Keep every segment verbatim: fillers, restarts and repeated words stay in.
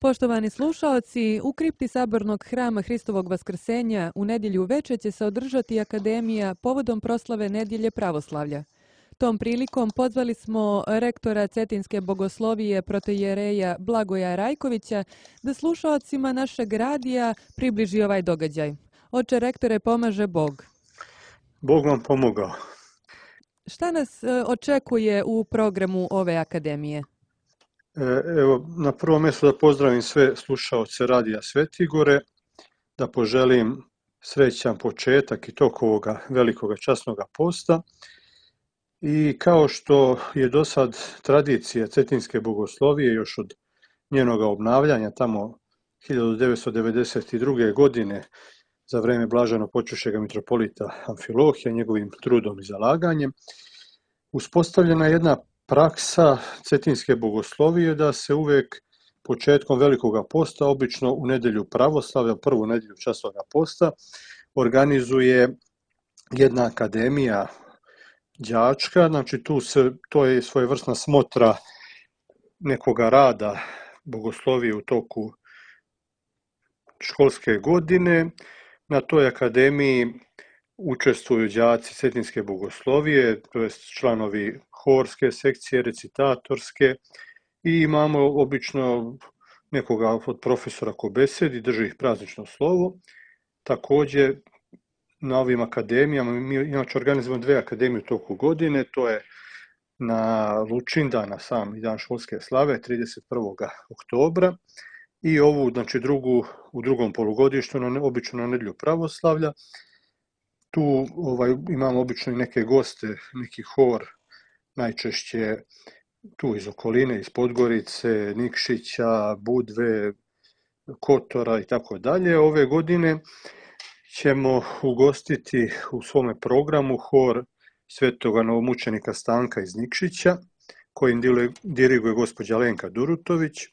Poštovani slušaoci, u kripti Sabornog hrama Hristovog Vaskrsenja u nedjelju uveče će se održati akademija povodom proslave Nedjelje pravoslavlja. Tom prilikom pozvali smo rektora Cetinske bogoslovije protoijereja Blagoja Rajkovića da slušaocima našeg radija približi ovaj događaj. Oče rektore, pomaže Bog. Bog vam pomogao. Šta nas e, očekuje u programu ove akademije? Evo, na prvom mjestu da pozdravim sve slušaoce Radija Svetigore, da poželim srećan početak i tok ovoga velikoga časnoga posta. I kao što je do sad tradicija Cetinske bogoslovije još od njenoga obnavljanja tamo hiljadu devetsto devedeset druge. godine za vrijeme blaženo počivšega mitropolita Amfilohija, njegovim trudom i zalaganjem, uspostavljena je jedna praksa Cetinske bogoslovije da se uvijek početkom velikoga posta, obično u nedjelju pravoslavlja, prvu nedjelju časnoga posta, organizuje jedna akademija đačka, znači tu se, to je svojevrsna smotra nekoga rada bogoslovije u toku školske godine. Na toj akademiji učestvuju đaci Cetinske bogoslovije, to jest članovi horske sekcije, recitatorske, i imamo obično nekoga od profesora ko besedi, drži ih praznično slovo. Također na ovim akademijama, mi inače organizujemo dve akademije u toku godine, to je na Lučindan, na sam dan školske slave, trideset prvog oktobra, i ovu, znači drugu, u drugom polugodištu, na, obično na nedjelju pravoslavlja. Tu ovaj, imamo obično i neke goste, neki hor, najčešće tu iz okoline, iz Podgorice, Nikšića, Budve, Kotora i tako dalje. Ove godine ćemo ugostiti u svome programu hor svetoga novomučenika Stanka iz Nikšića, kojim diriguje gospođa Lenka Durutović. E,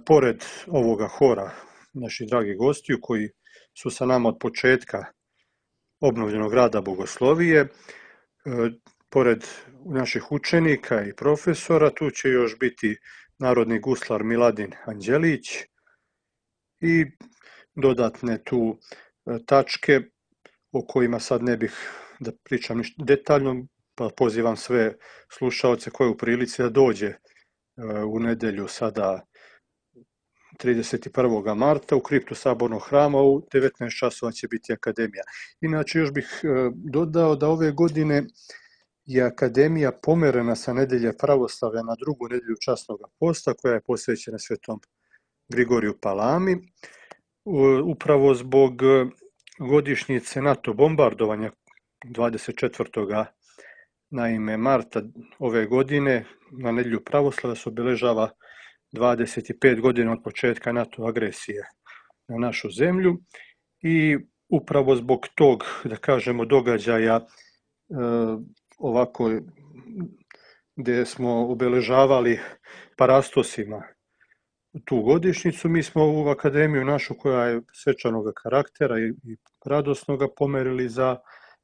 pored ovoga hora naših dragih gostiju koji su sa nama od početka obnovljenog rada bogoslovije, e, pored naših učenika i profesora, tu će još biti narodni guslar Miladin Anđelić i dodatne tu tačke o kojima sad ne bih da pričam ništa detaljno, pa pozivam sve slušaoce koje u prilici da dođe u nedjelju sada trideset prvog marta u kriptu Sabornog hrama u devetnaest časova će biti akademija. Inače još bih dodao da ove godine je akademija pomerena sa nedjelje pravoslavlja na drugu nedjelju časnog posta koja je posvećena svetom Grigoriju Palami. Upravo zbog godišnjice NATO bombardovanja dvadeset četvrtog naime marta ove godine na nedjelju pravoslavlja se obilježava dvadeset pet godina od početka NATO agresije na našu zemlju, i upravo zbog tog, da kažemo, događaja e, ovako gdje smo obilježavali parastosima tu godišnjicu, mi smo ovu akademiju našu koja je svečanog karaktera i, i radosnoga pomerili za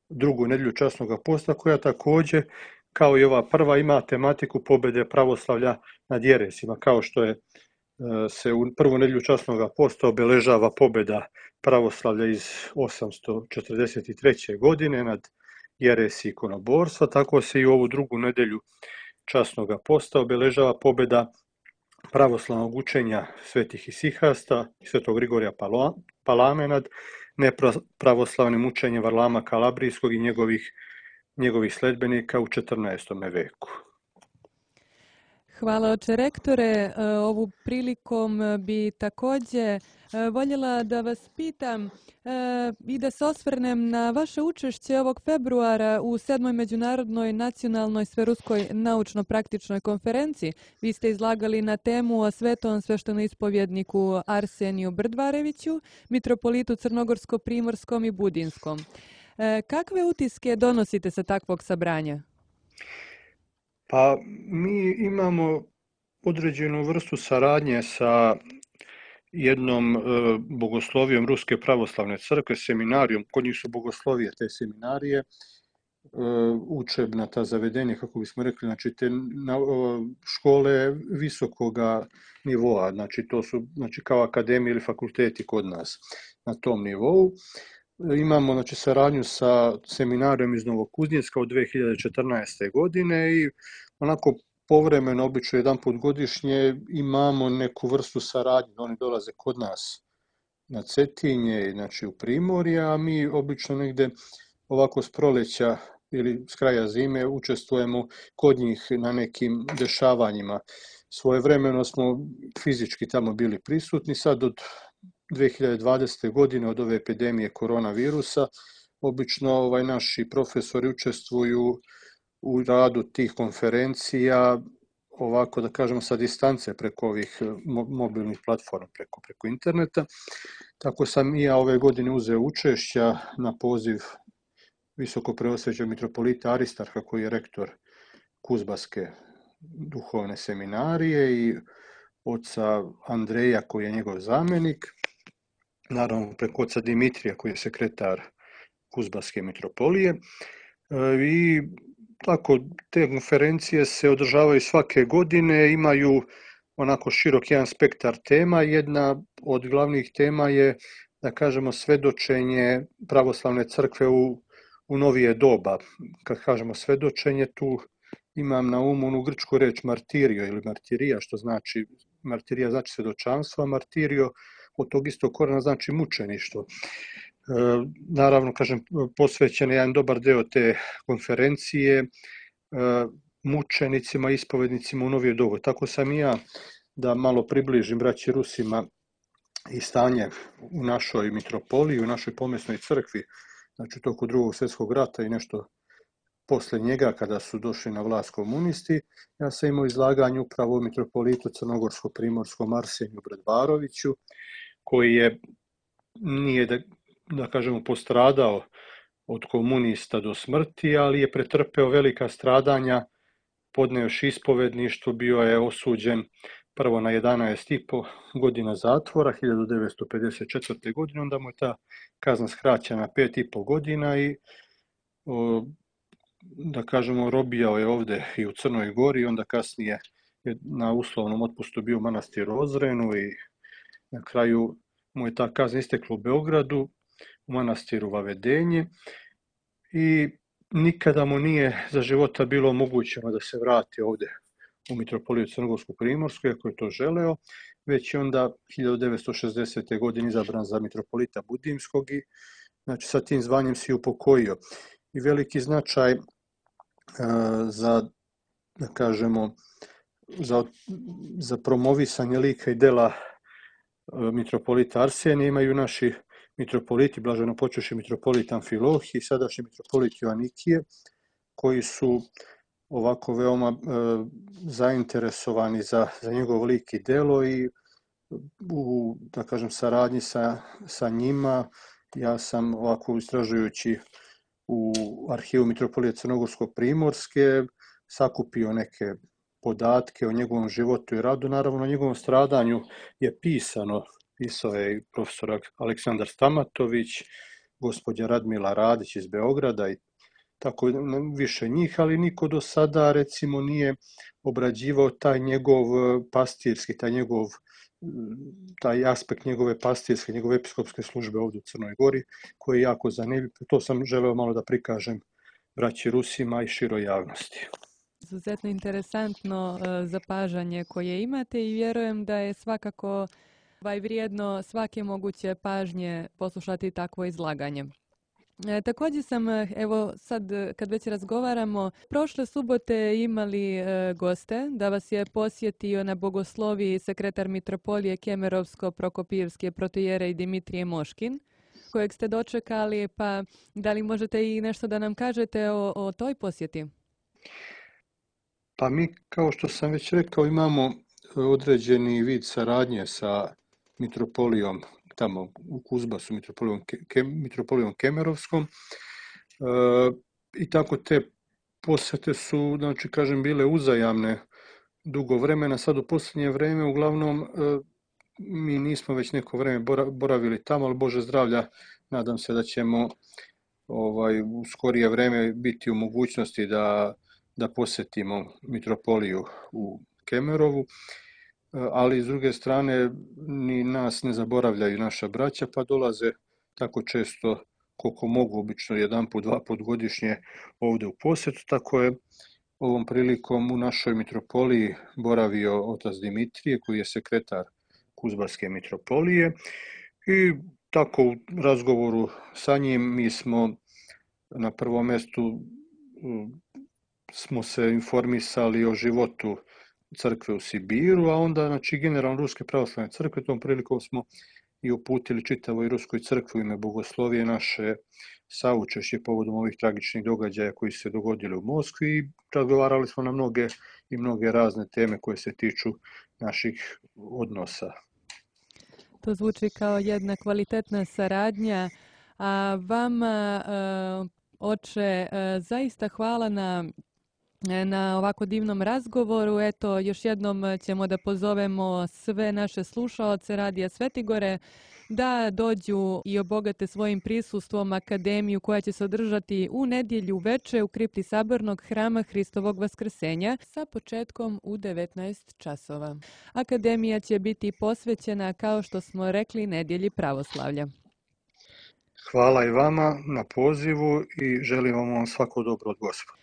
drugu nedjelju časnoga posta, koja također kao i ova prva ima tematiku pobjede pravoslavlja nad jeresima, kao što je se u prvu nedjelju časnoga posta obilježava pobjeda pravoslavlja iz osamsto četrdeset treće. godine nad jeresi ikonoborstva, tako se i u ovu drugu nedjelju časnoga posta obilježava pobjeda pravoslavnog učenja svetih isihasta i svetog Grigorija Palame nad nepravoslavnim učenjem Varlama Kalabrijskog i njegovih, njegovih sledbenika u četrnaestom. veku. Hvala, oče rektore. Ovu prilikom bi također voljela da vas pitam i da se osvrnem na vaše učešće ovog februara u sedmoj međunarodnoj nacionalnoj sveruskoj naučno-praktičnoj konferenciji. Vi ste izlagali na temu o svetom sveštenoispovjedniku Arseniju Brdvareviću, mitropolitu Crnogorsko-primorskom i Budinskom. Kakve utiske donosite sa takvog sabranja? Pa mi imamo određenu vrstu saradnje sa jednom e, bogoslovijom Ruske pravoslavne crkve, seminarijom, kod njih su bogoslovije te seminarije, učebna ta zavedenja, kako bismo rekli, znači te na, škole visokoga nivoa, znači to su znači kao akademije ili fakulteti kod nas na tom nivou. Imamo znači saradnju sa seminarijom iz Novokuznjecka od dve hiljade četrnaeste. godine i onako povremeno, obično jedan put godišnje, imamo neku vrstu saradnje. Oni dolaze kod nas na Cetinje, znači u Primorje, a mi obično negde ovako s proleća ili s kraja zime učestvujemo kod njih na nekim dešavanjima. Svojevremeno smo fizički tamo bili prisutni, sad od dve hiljade dvadesete. godine od ove epidemije koronavirusa, obično ovaj, naši profesori učestvuju u radu tih konferencija, ovako da kažemo sa distance preko ovih mobilnih platforma, preko, preko interneta. Tako sam i ja ove godine uzeo učešća na poziv visoko preosvećenog mitropolita Aristarha, koji je rektor Kuzbaske duhovne seminarije, i oca Andreja, koji je njegov zamenik, naravno preko oca Dimitrija, koji je sekretar Kuzbaske mitropolije. I tako te konferencije se održavaju svake godine, imaju onako širok jedan spektar tema. Jedna od glavnih tema je, da kažemo, svedočenje pravoslavne crkve u, u novije doba. Kad kažemo svedočenje, tu imam na umu onu grčku reč martirio ili martirija, što znači, martirija znači svedočanstvo, a martirio od tog istog korena znači mučeništvo. E, naravno, kažem, posvećen je jedan dobar deo te konferencije e, mučenicima, ispovednicima u novije doba. Tako sam i ja, da malo približim braći Rusima i stanje u našoj mitropoliji, u našoj pomesnoj crkvi, znači toku drugog svjetskog rata i nešto posle njega, kada su došli na vlast komunisti. Ja sam imao izlaganje upravo o mitropolitu crnogorsko-primorskom Arseniju Bredvaroviću, koji je, nije da, da kažemo, postradao od komunista do smrti, ali je pretrpeo velika stradanja, podneo još ispovedništvo, bio je osuđen prvo na jedanaest i po godina zatvora hiljadu devetsto pedeset četvrte. godine, onda mu je ta kazna skraćena na pet i po godina i o, da kažemo, robijao je ovde i u Crnoj Gori, onda kasnije je na uslovnom otpustu bio u manastiru Ozrenu i na kraju mu je ta kazna istekla u Beogradu, u manastiru Vavedenje, i nikada mu nije za života bilo omogućeno da se vrati ovde u mitropoliju Crnogorsko-primorsku, ako je to želeo, već je onda hiljadu devetsto šezdesete. godine izabran za mitropolita Budimskog i znači sa tim zvanjem se upokojio. I veliki značaj uh, za, da kažemo, za, za promovisanje lika i dela uh, mitropolita Arsenija imaju naši mitropoliti, blaženo počevši mitropolit Amfilohije i sadašnji mitropolit Joanikije, koji su ovako veoma e, zainteresovani za, za njegov lik i delo, i u, da kažem, saradnji sa, sa njima ja sam ovako istražujući u arhivu mitropolije Crnogorsko-primorske sakupio neke podatke o njegovom životu i radu. Naravno, o njegovom stradanju je pisano, pisao je i profesor Aleksandar Stamatović, gospođa Radmila Radić iz Beograda i tako više njih, ali niko do sada, recimo, nije obrađivao taj njegov pastirski, taj njegov taj aspekt njegove pastirske, njegove episkopske službe ovdje u Crnoj Gori, koji je jako zanimljiv. To sam želeo malo da prikažem braći Rusima i široj javnosti. Izuzetno interesantno zapažanje koje imate i vjerujem da je svakako ovaj vrijedno svake moguće pažnje poslušati takvo izlaganje. E, također sam, evo sad kad već razgovaramo, prošle subote imali e, goste, da vas je posjetio na bogosloviji sekretar mitropolije Kemerovsko-Prokopijevske protojere i Dimitrije Moškin, kojeg ste dočekali, pa da li možete i nešto da nam kažete o, o toj posjeti? Pa mi, kao što sam već rekao, imamo određeni vid saradnje sa mitropolijom tamo u Kuzbasu, mitropolijom, ke, mitropolijom Kemerovskom. E, I tako te posete su, znači, kažem, bile uzajamne dugo vremena. Sad u posljednje vreme, uglavnom, e, mi nismo već neko vreme boravili tamo, ali Bože zdravlja, nadam se da ćemo ovaj, u skorije vreme biti u mogućnosti da, da posjetimo mitropoliju u Kemerovu, ali s druge strane ni nas ne zaboravljaju naša braća, pa dolaze tako često koliko mogu, obično jedan put, dva put godišnje ovdje u posjetu, tako je ovom prilikom u našoj mitropoliji boravio otac Dimitrije, koji je sekretar Kuzbarske mitropolije, i tako u razgovoru sa njim mi smo na prvom mjestu smo se informisali o životu crkve u Sibiru, a onda znači generalno Ruske pravoslavne crkve. Tom prilikom smo i uputili čitavoj Ruskoj crkvi u ime Bogoslovije naše saučešće povodom ovih tragičnih događaja koji su se dogodili u Moskvi i razgovarali smo na mnoge i mnoge razne teme koje se tiču naših odnosa. To zvuči kao jedna kvalitetna saradnja, a vama, oče, zaista hvala na na ovako divnom razgovoru. Eto, još jednom ćemo da pozovemo sve naše slušaoce Radija Svetigore da dođu i obogate svojim prisustvom akademiju koja će se održati u nedjelju veče u kripti Sabornog hrama Hristovog Vaskrsenja sa početkom u devetnaest časova. Akademija će biti posvećena, kao što smo rekli, nedjelji pravoslavlja. Hvala i vama na pozivu i želim vam svako dobro od Gospoda.